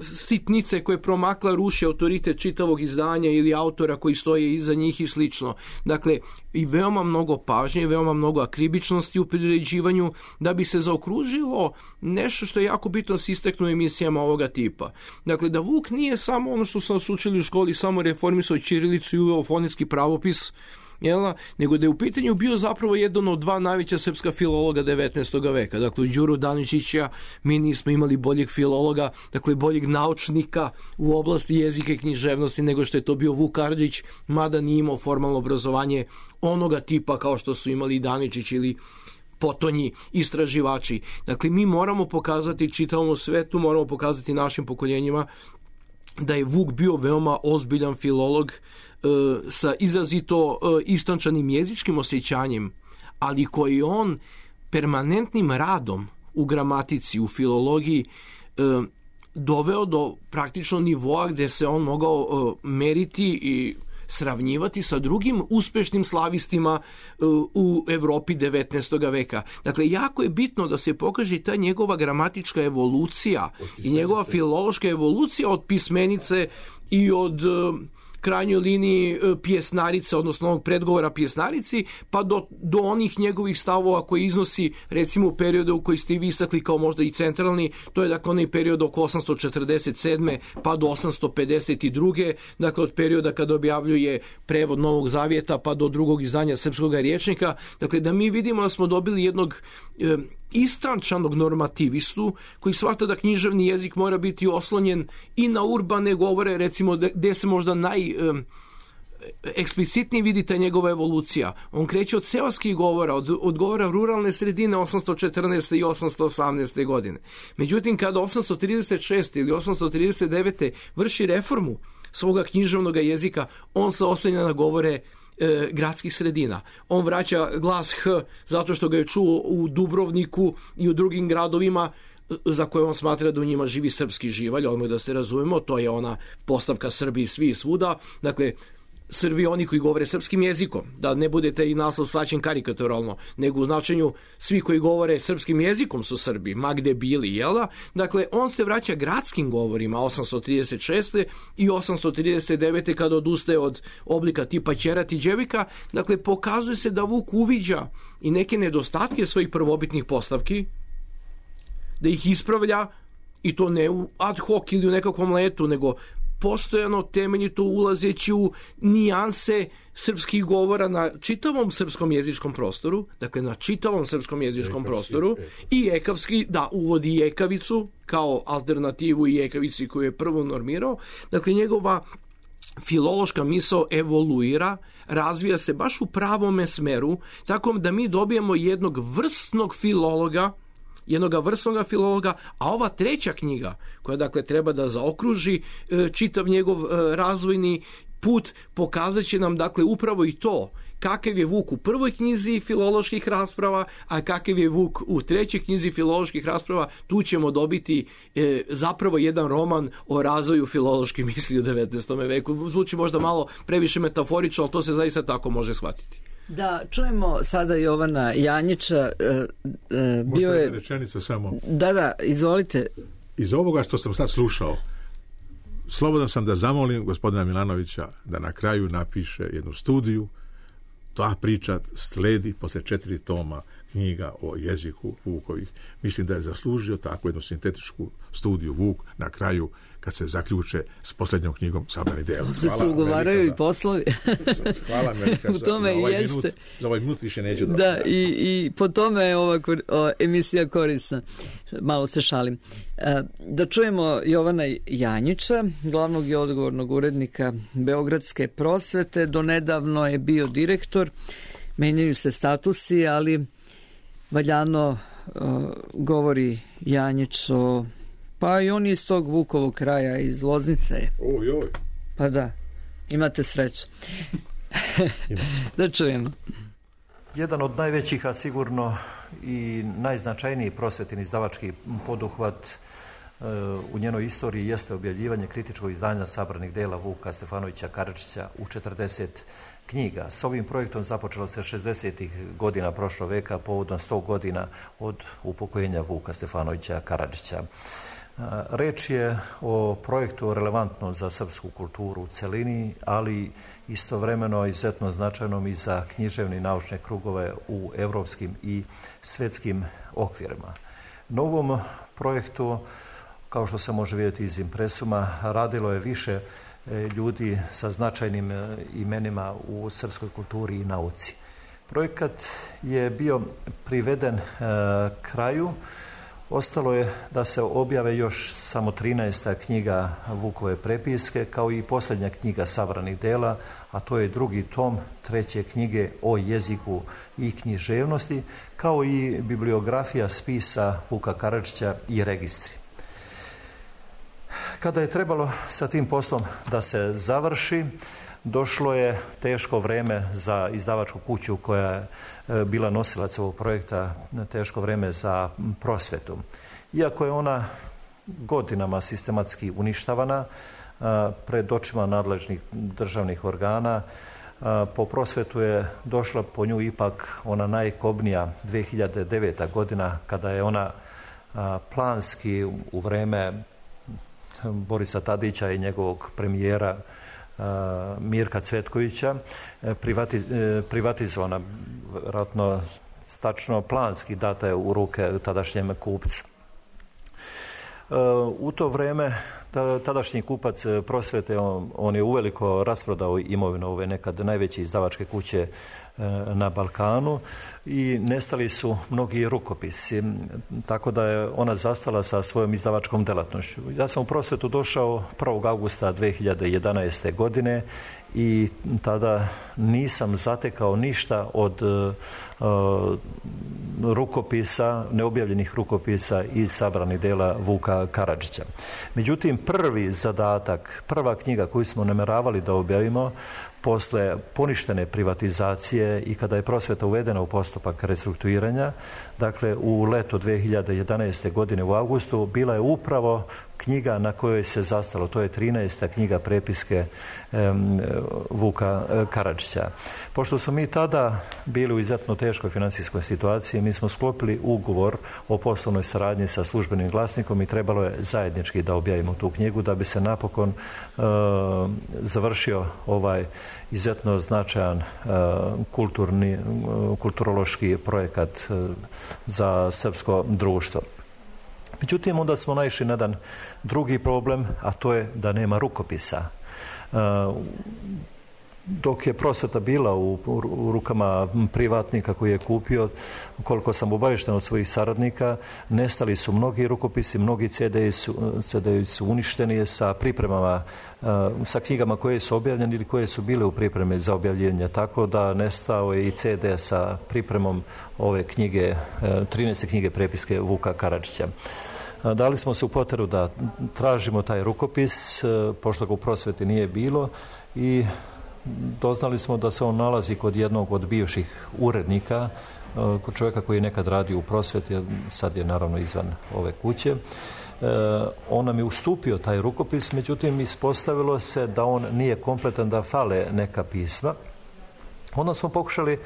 Speaker 3: sitnice koje promakla ruši autoritet čitavog izdanja ili autora koji stoje iza njih i slično. Dakle, i veoma mnogo pažnje i veoma mnogo akribičnosti u priređivanju da bi se zaokružilo nešto što je jako bitno se istakne u emisijama ovoga tipa. Dakle, da Vuk nije samo ono što sam nas učili u školi, samo reformisao ćirilicu i uveo fonetski pravopis, nego da je u pitanju bio zapravo jedan od dva najveća srpska filologa 19. veka. Dakle, Đuru Daničića mi nismo imali boljeg filologa, dakle boljeg naučnika u oblasti jezika i književnosti nego što je to bio Vuk Karadžić, mada nije imao formalno obrazovanje onoga tipa kao što su imali Daničić ili potonji istraživači. Dakle, mi moramo pokazati čitavom svetu, moramo pokazati našim pokoljenjima da je Vuk bio veoma ozbiljan filolog sa izrazito istančanim jezičkim osjećanjem, ali koji on permanentnim radom u gramatici, u filologiji doveo do praktično nivoa gde se on mogao meriti i sravnjivati sa drugim uspešnim slavistima u Evropi 19. veka. Dakle, jako je bitno da se pokaže ta njegova gramatička evolucija i njegova filološka evolucija od pismenice i od krajnjoj liniji pjesnarice, odnosno ovog predgovora pjesnarici, pa do onih njegovih stavova koji iznosi, recimo u periodu u koji ste vi istakli kao možda i centralni, to je dakle onaj period oko 847. pa do 852. Dakle, od perioda kada objavljuje prevod Novog Zavjeta pa do drugog izdanja srpskog rječnika. Dakle, da mi vidimo da smo dobili jednog istančanog normativistu koji shvata da književni jezik mora biti oslonjen i na urbane govore, recimo gde se možda eksplicitnije vidite njegova evolucija. On kreće od seoskih govora, od govora ruralne sredine 814. i 818. godine. Međutim, kada 836. ili 839. vrši reformu svoga književnog jezika, on se oslanja na govore gradskih sredina. On vraća glas H zato što ga je čuo u Dubrovniku i u drugim gradovima za koje on smatra da u njima živi srpski živalj, odmah da se razumemo, to je ona postavka Srbiji svi i svuda, dakle Srbi oni koji govore srpskim jezikom, da ne budete i naslov shvaćen karikaturalno, nego u značenju svi koji govore srpskim jezikom su Srbi, ma gde bili, jel da? Dakle, on se vraća gradskim govorima 836. i 839. kada odustaje od oblika tipa ćerat i djevika, dakle, pokazuje se da Vuk uviđa i neke nedostatke svojih prvobitnih postavki, da ih ispravlja i to ne u ad hoc ili u nekakvom letu, nego postojano temeljito ulazeći u nijanse srpskih govora na čitavom srpskom jezičkom prostoru, dakle na čitavom srpskom jezičkom prostoru, i ekavski, da, uvodi i ekavicu kao alternativu i ekavici koju je prvo normirao. Dakle, njegova filološka misao evoluira, razvija se baš u pravome smeru, tako da mi dobijemo jednog vrstnog filologa, a ova treća knjiga, koja dakle treba da zaokruži čitav njegov razvojni put, pokazat će nam dakle upravo i to, kakav je Vuk u prvoj knjizi filoloških rasprava, a kakav je Vuk u trećoj knjizi filoloških rasprava. Tu ćemo dobiti zapravo jedan roman o razvoju filološke misli u 19. veku. Zvuči možda malo previše metaforično, ali to se zaista tako može shvatiti.
Speaker 4: Da, čujemo sada Jovana Janjića. Bio je
Speaker 5: rečenica samo.
Speaker 4: Da, izvolite.
Speaker 5: Iz ovoga što sam sad slušao, slobodan sam da zamolim gospodina Milanovića da na kraju napiše jednu studiju. Ta priča sledi posle 4 toma knjiga o jeziku Vukovih. Mislim da je zaslužio takvu jednu sintetičku studiju Vuk na kraju kad se zaključe s posljednjom knjigom Sabrani dela.
Speaker 4: Ovdje se ugovaraju i poslovi.
Speaker 5: Hvala Melika
Speaker 4: u tome
Speaker 5: za ovaj minut više neću da.
Speaker 4: Da, i po tome je ova emisija korisna. Malo se šalim. Da čujemo Jovana Janjića, glavnog i odgovornog urednika Beogradske prosvete. Donedavno je bio direktor, menjaju se statusi, ali valjano govori Janjić o... Pa i on je iz tog Vukovog kraja, iz Loznice.
Speaker 5: Oj.
Speaker 4: Pa da, imate sreću. Da čujemo.
Speaker 7: Jedan od najvećih, a sigurno i najznačajniji prosvetni izdavački poduhvat u njenoj istoriji jeste objavljivanje kritičkog izdanja sabranih dela Vuka Stefanovića Karadžića u 40 knjiga. S ovim projektom započelo se 60. godina prošlog veka povodom 100 godina od upokojenja Vuka Stefanovića Karadžića. Reč je o projektu relevantnom za srpsku kulturu u celini, ali istovremeno izuzetno značajnom i za književne i naučne krugove u evropskim i svetskim okvirima. Na ovom projektu, kao što se može vidjeti iz impresuma, radilo je više ljudi sa značajnim imenima u srpskoj kulturi i nauci. Projekat je bio priveden kraju. Ostalo je da se objave još samo 13. knjiga Vukove prepiske, kao i posljednja knjiga sabranih dela, a to je drugi tom 3. knjige o jeziku i književnosti, kao i bibliografija spisa Vuka Karadžića i registri. Kada je trebalo sa tim poslom da se završi, došlo je teško vreme za izdavačku kuću koja je bila nosilac ovog projekta, teško vreme za prosvetu. Iako je ona godinama sistematski uništavana pred očima nadležnih državnih organa, po prosvetu je došla po nju ipak ona najkobnija 2009. godina, kada je ona planski u vreme Borisa Tadića i njegovog premijera Mirka Cvetkovića privatizovana, vjerojatno tačno planski data je u ruke tadašnjem kupcu. U to vreme tadašnji kupac prosvete, on je uveliko rasprodao imovinu ove nekad najveće izdavačke kuće na Balkanu i nestali su mnogi rukopisi, tako da je ona zastala sa svojom izdavačkom delatnošću. Ja sam u prosvetu došao 1. augusta 2011. godine i tada nisam zatekao ništa od rukopisa, neobjavljenih rukopisa iz sabranih dela Vuka Karadžića. Međutim, prvi zadatak, prva knjiga koju smo namjeravali da objavimo posle poništene privatizacije i kada je prosveta uvedena u postupak restrukturiranja, dakle u leto 2011. godine u augustu, bila je upravo knjiga na kojoj se zastalo. To je 13. knjiga prepiske Vuka Karadžića. Pošto smo mi tada bili u izuzetno teškoj financijskoj situaciji, mi smo sklopili ugovor o poslovnoj saradnji sa Službenim glasnikom i trebalo je zajednički da objavimo tu knjigu da bi se napokon završio ovaj izuzetno značajan kulturološki projekat za srpsko društvo. Međutim, onda smo naišli na jedan drugi problem, a to je da nema rukopisa. Dok je prosveta bila u rukama privatnika koji je kupio, koliko sam obavješten od svojih saradnika, nestali su mnogi rukopisi, mnogi CD-i su uništeni sa pripremama, sa knjigama koje su objavljene ili koje su bile u pripremi za objavljenje, tako da nestao je i CD sa pripremom ove knjige, 13. knjige prepiske Vuka Karadžića. Dali smo se u potrebu da tražimo taj rukopis, pošto ga u prosveti nije bilo, i doznali smo da se on nalazi kod jednog od bivših urednika, kod čovjeka koji je nekad radio u prosveti, sad je naravno izvan ove kuće. On nam je ustupio taj rukopis, međutim ispostavilo se da on nije kompletan, da fale neka pisma. Onda smo pokušali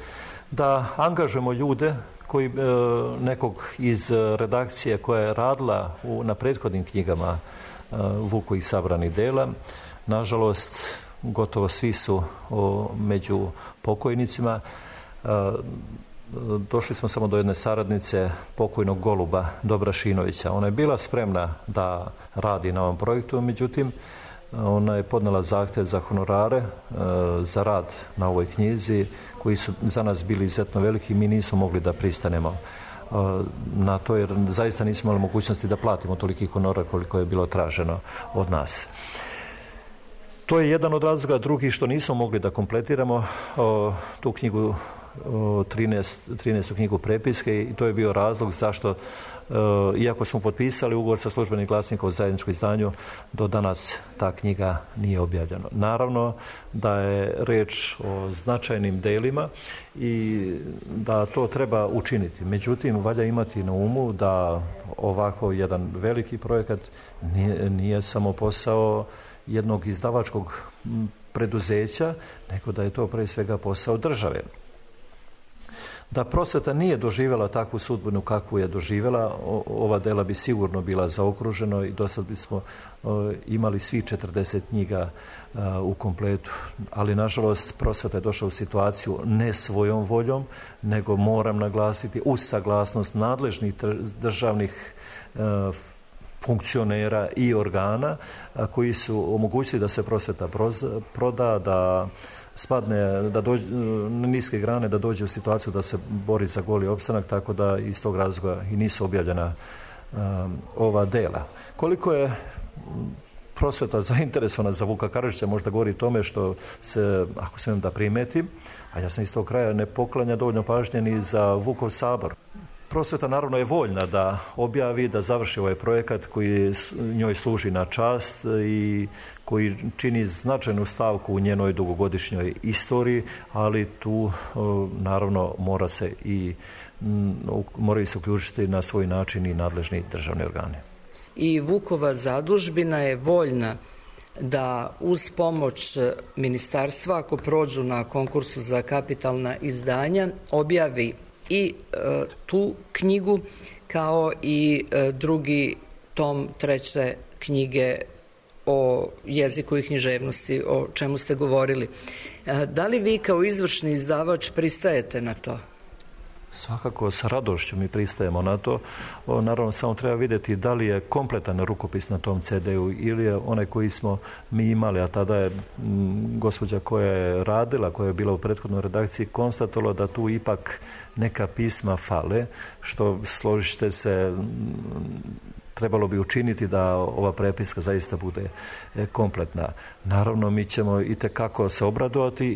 Speaker 7: da angažujemo ljude koji, nekog iz redakcije koja je radila na prethodnim knjigama Vukovih sabranih dela. Nažalost, gotovo svi su među pokojnicima. Došli smo samo do jedne saradnice pokojnog Goluba Dobrašinovića. Ona je bila spremna da radi na ovom projektu, međutim ona je podnela zahtjev za honorare za rad na ovoj knjizi koji su za nas bili izuzetno veliki i mi nismo mogli da pristanemo na to, jer zaista nismo imali mogućnosti da platimo toliki honorar koliko je bilo traženo od nas. To je jedan od razloga. Drugi, što nismo mogli da kompletiramo tu knjigu, 13. knjigu prepiske, i to je bio razlog zašto, iako smo potpisali ugovor sa Službenim glasnikom o zajedničkom izdanju, do danas ta knjiga nije objavljena. Naravno da je reč o značajnim delima i da to treba učiniti. Međutim, valja imati na umu da ovako jedan veliki projekat nije samo posao jednog izdavačkog preduzeća, nego da je to pre svega posao države. Da prosveta nije doživjela takvu sudbinu kakvu je doživjela, ova dela bi sigurno bila zaokruženo i do sad bismo imali svi 40 knjiga u kompletu. Ali, nažalost, prosveta je došla u situaciju ne svojom voljom, nego, moram naglasiti, uz saglasnost nadležnih državnih funkcionera i organa koji su omogućili da se prosveta proda, da spadne, da dođe na niske grane, da dođe u situaciju da se bori za goli opstanak, tako da iz tog razloga i nisu objavljena ova dela. Koliko je prosveta zainteresovana za Vuka Karadžića možda govori tome što se, ako smijem da primetim, a ja sam iz tog kraja, ne poklanja dovoljno pažnje ni za Vukov sabor. Prosveta naravno je voljna da objavi, da završi ovaj projekat koji njoj služi na čast i koji čini značajnu stavku u njenoj dugogodišnjoj istoriji, ali tu naravno moraju se uključiti na svoj način i nadležni državni organi.
Speaker 4: I Vukova zadužbina je voljna da uz pomoć ministarstva, ako prođu na konkursu za kapitalna izdanja, objavi i tu knjigu kao i drugi tom treće knjige o jeziku i književnosti, o čemu ste govorili. Da li vi kao izvršni izdavač pristajete na to?
Speaker 7: Svakako, sa radošću mi pristajemo na to. Naravno, samo treba vidjeti da li je kompletan rukopis na tom CD-u ili je onaj koji smo mi imali, a tada je gospođa koja je radila, koja je bila u prethodnoj redakciji, konstatovala da tu ipak neka pisma fale, što složite se trebalo bi učiniti da ova prepiska zaista bude kompletna. Naravno, mi ćemo itekako se obradovati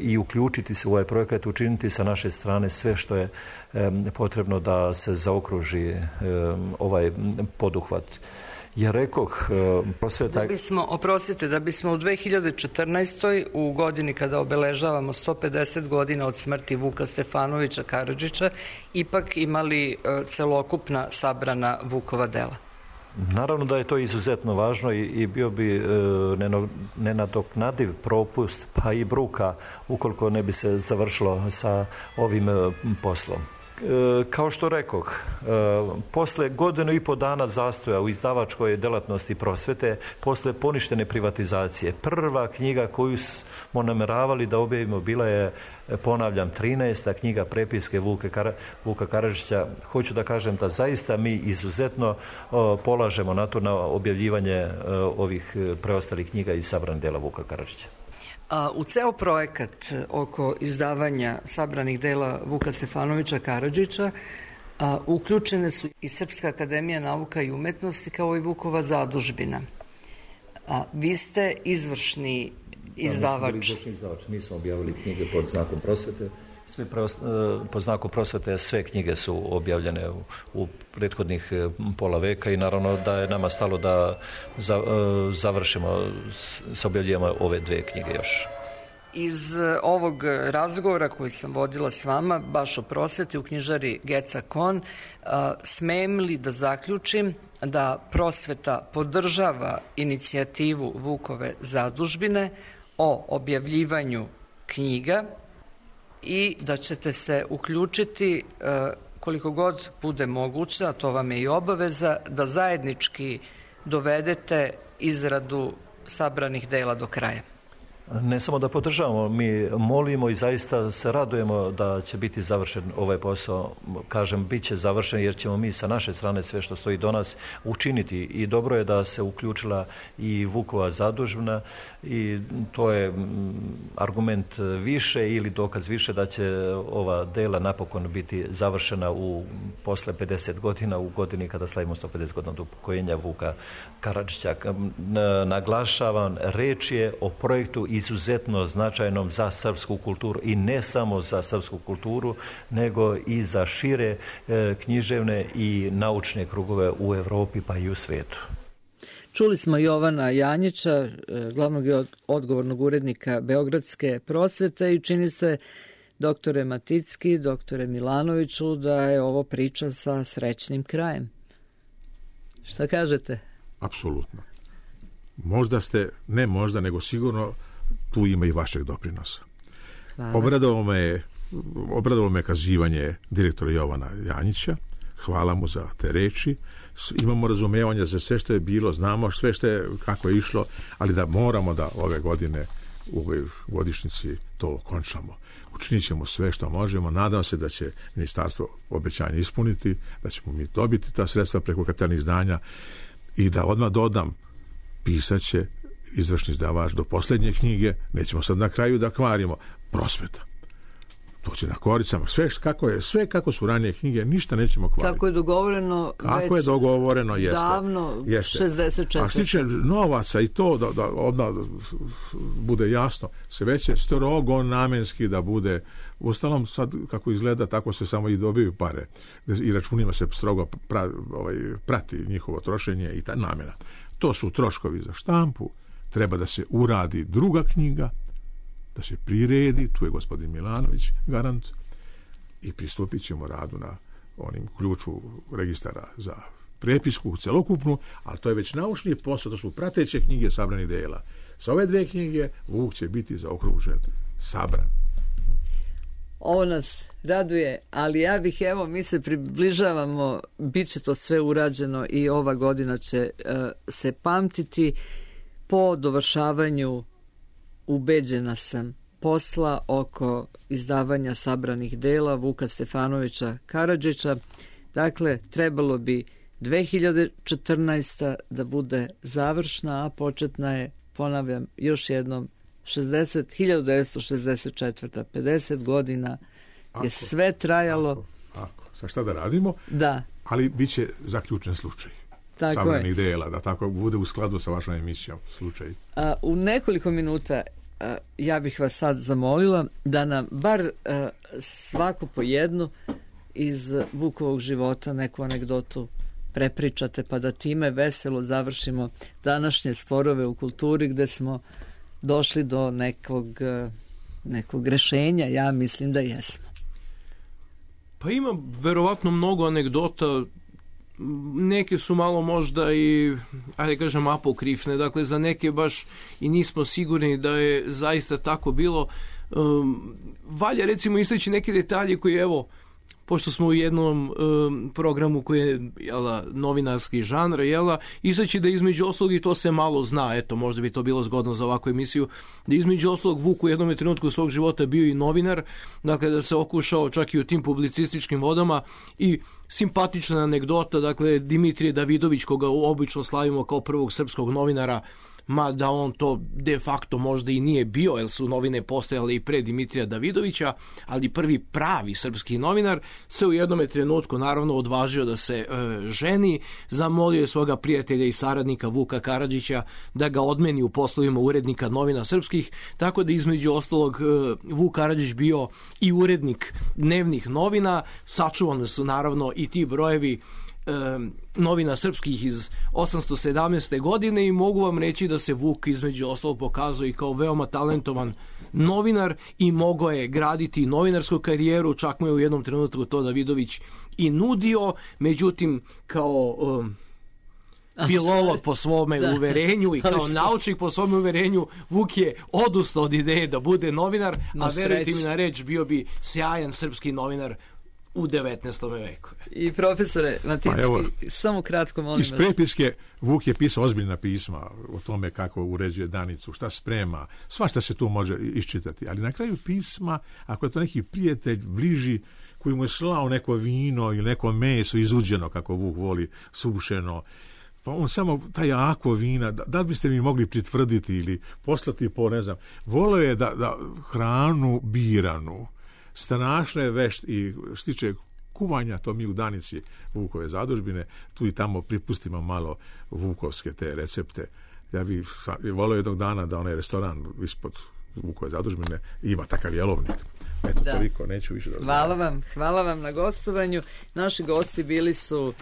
Speaker 7: i uključiti se u ovaj projekat, učiniti sa naše strane sve što je potrebno da se zaokruži ovaj poduhvat. Jer rekoh, prosveta...
Speaker 4: Da bismo u 2014. u godini kada obeležavamo 150 godina od smrti Vuka Stefanovića Karadžića, ipak imali celokupna sabrana Vukova dela.
Speaker 7: Naravno da je to izuzetno važno i bio bi nenadoknadiv propust, pa i bruka, ukoliko ne bi se završilo sa ovim poslom. Kao što rekoh, posle godinu i po dana zastoja u izdavačkoj delatnosti prosvete, posle poništene privatizacije, prva knjiga koju smo nameravali da objavimo bila je, ponavljam, 13. knjiga prepiske Vuka Karadžića. Hoću da kažem da zaista mi izuzetno polažemo na to, na objavljivanje ovih preostalih knjiga iz sabranih dela Vuka Karadžića.
Speaker 4: U ceo projekat oko izdavanja sabranih dela Vuka Stefanovića Karadžića uključene su i Srpska akademija nauka i umetnosti kao i Vukova zadužbina. Vi ste izvršni izdavač.
Speaker 7: Mi smo objavili knjige pod znakom prosvete. Po znaku prosvete sve knjige su objavljene u prethodnih pola veka i naravno da je nama stalo da završimo sa objavljivanjem ove dve knjige još.
Speaker 4: Iz ovog razgovora koji sam vodila s vama, baš o prosveti u knjižari Geca Kon, smem li da zaključim da prosveta podržava inicijativu Vukove zadužbine o objavljivanju knjiga i da ćete se uključiti koliko god bude moguće, a to vam je i obaveza, da zajednički dovedete izradu sabranih dela do kraja?
Speaker 7: Ne samo da podržavamo, mi molimo i zaista se radujemo da će biti završen ovaj posao. Kažem, bit će završen jer ćemo mi sa naše strane sve što stoji do nas učiniti i dobro je da se uključila i Vukova zadužbina i to je argument više ili dokaz više da će ova dela napokon biti završena posle 50 godina, u godini kada slavimo 150 godina od upokojenja Vuka Karadžića. Naglašavam, reč je o projektu izuzetno značajnom za srpsku kulturu i ne samo za srpsku kulturu, nego i za šire književne i naučne krugove u Evropi pa i u svetu.
Speaker 4: Čuli smo Jovana Janjića, glavnog i odgovornog urednika Beogradske prosvete i čini se, doktore Maticki, doktore Milanoviću, da je ovo priča sa srećnim krajem. Šta kažete?
Speaker 5: Apsolutno. Možda ste, ne možda, nego sigurno tu ima i vašeg doprinosa. Obradovalo me kazivanje direktora Jovana Janjića. Hvala mu za te reči. Imamo razumevanja za sve što je bilo, znamo sve što je, kako je išlo, ali da moramo da ove godine u ovoj godišnjici to okončamo. Učinit ćemo sve što možemo. Nadam se da će ministarstvo obećanje ispuniti, da ćemo mi dobiti ta sredstva preko kapitalnih izdanja I da odmah dodam, pisat će izvršni izdavač do posljednje knjige, nećemo sad na kraju da kvarimo, prosveta. To će na koricama, sve kako su ranije knjige, ništa nećemo kvariti.
Speaker 4: Kako je dogovoreno
Speaker 5: kako je dogovoreno, jeste.
Speaker 4: Davno, jeste. 64.
Speaker 5: A što tiče novaca i to, da odmah bude jasno, sve će strogo namenski da bude, uostalom sad kako izgleda, tako se samo i dobiju pare. I računima se strogo prati njihovo trošenje i ta namjena. To su troškovi za štampu, treba da se uradi druga knjiga, da se priredi, tu je gospodin Milanović garant, i pristupit ćemo radu na onim ključu registara za prepisku celokupnu, ali to je već naučni posao, to su prateće knjige sabranih dela. Sa ove 2 knjige Vuk će biti zaokružen, sabran.
Speaker 4: Ovo nas raduje, ali ja bih, mi se približavamo, bit će to sve urađeno i ova godina će se pamtiti. Po dovršavanju, ubeđena sam, posla oko izdavanja sabranih dela Vuka Stefanovića Karadžića. Dakle, trebalo bi 2014. da bude završna, a početna je, ponavljam još jednom, 1964. 50 godina je sve trajalo.
Speaker 5: Sa šta da radimo?
Speaker 4: Da.
Speaker 5: Ali bit će zaključen slučaj.
Speaker 4: Tako
Speaker 5: sabranih dela, da tako bude u skladu sa vašom emisijom slučaj.
Speaker 4: U nekoliko minuta ja bih vas sad zamolila da nam bar svako po jednu iz Vukovog života neku anegdotu prepričate, pa da time veselo završimo današnje sporove u kulturi, gde smo došli do nekog rešenja. Ja mislim da jesmo.
Speaker 3: Pa ima verovatno mnogo anegdota. Neke su malo možda i, ajde kažem, apokrifne, dakle za neke baš i nismo sigurni da je zaista tako bilo. Valja recimo istaći neke detalje koji, evo, pošto smo u jednom programu koji je novinarski žanr, istaći da između oslog, i to se malo zna, eto, možda bi to bilo zgodno za ovakvu emisiju, da između oslog Vuk u jednom trenutku svog života bio i novinar, dakle da se okušao čak i u tim publicističkim vodama. I simpatična anegdota, dakle Dimitrije Davidović, koga obično slavimo kao prvog srpskog novinara, mada on to de facto možda i nije bio, jer su novine postojale i pre Dimitrija Davidovića, ali prvi pravi srpski novinar se u jednom trenutku naravno odvažio da se ženi, zamolio je svoga prijatelja i saradnika Vuka Karadžića da ga odmeni u poslovima urednika novina srpskih, tako da između ostalog Vuk Karadžić bio i urednik dnevnih novina. Sačuvane su naravno i ti brojevi novina srpskih iz 817. godine i mogu vam reći da se Vuk između ostalog pokazao i kao veoma talentovan novinar i mogao je graditi novinarsku karijeru, čak mu je u jednom trenutku to Davidović i nudio, međutim kao filolog po svome uverenju i kao naučnik po svome uverenju, Vuk je odustao od ideje da bude novinar, a verujte mi na reč, bio bi sjajan srpski novinar u 19. veku.
Speaker 4: I profesore Maticki, samo kratko molim vas.
Speaker 5: Iz prepiske Vuk je pisao ozbiljna pisma o tome kako uređuje danicu, šta sprema, svašta se tu može iščitati, ali na kraju pisma, ako je to neki prijatelj bliži koji mu je slao neko vino ili neko meso izuđeno, kako Vuk voli, sušeno, pa on samo taj jako vina, da li biste mi mogli pritvrditi ili poslati po, ne znam, volio je da hranu biranu, strašno je vešt i što tiče kuvanja, to mi u Danici Vukove zadužbine, tu i tamo pripustimo malo vukovske te recepte. Ja bih volio jednog dana da onaj restoran ispod Vukove zadužbine ima takav jelovnik. Eto, toliko, neću više da znam.
Speaker 4: Hvala vam na gostovanju. Naši gosti bili su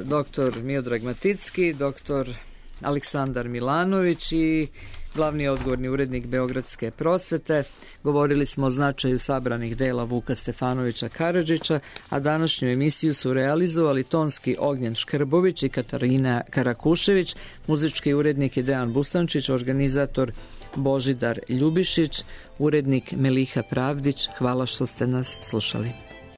Speaker 4: dr. Miodrag Maticki, dr. Aleksandar Milanović i glavni odgovorni urednik Beogradske prosvete. Govorili smo o značaju sabranih dela Vuka Stefanovića Karadžića, a današnju emisiju su realizovali tonski Ognjen Škrbović i Katarina Karakušević, muzički urednik je Dejan Busančić, organizator Božidar Ljubišić, urednik Meliha Pravdić. Hvala što ste nas slušali.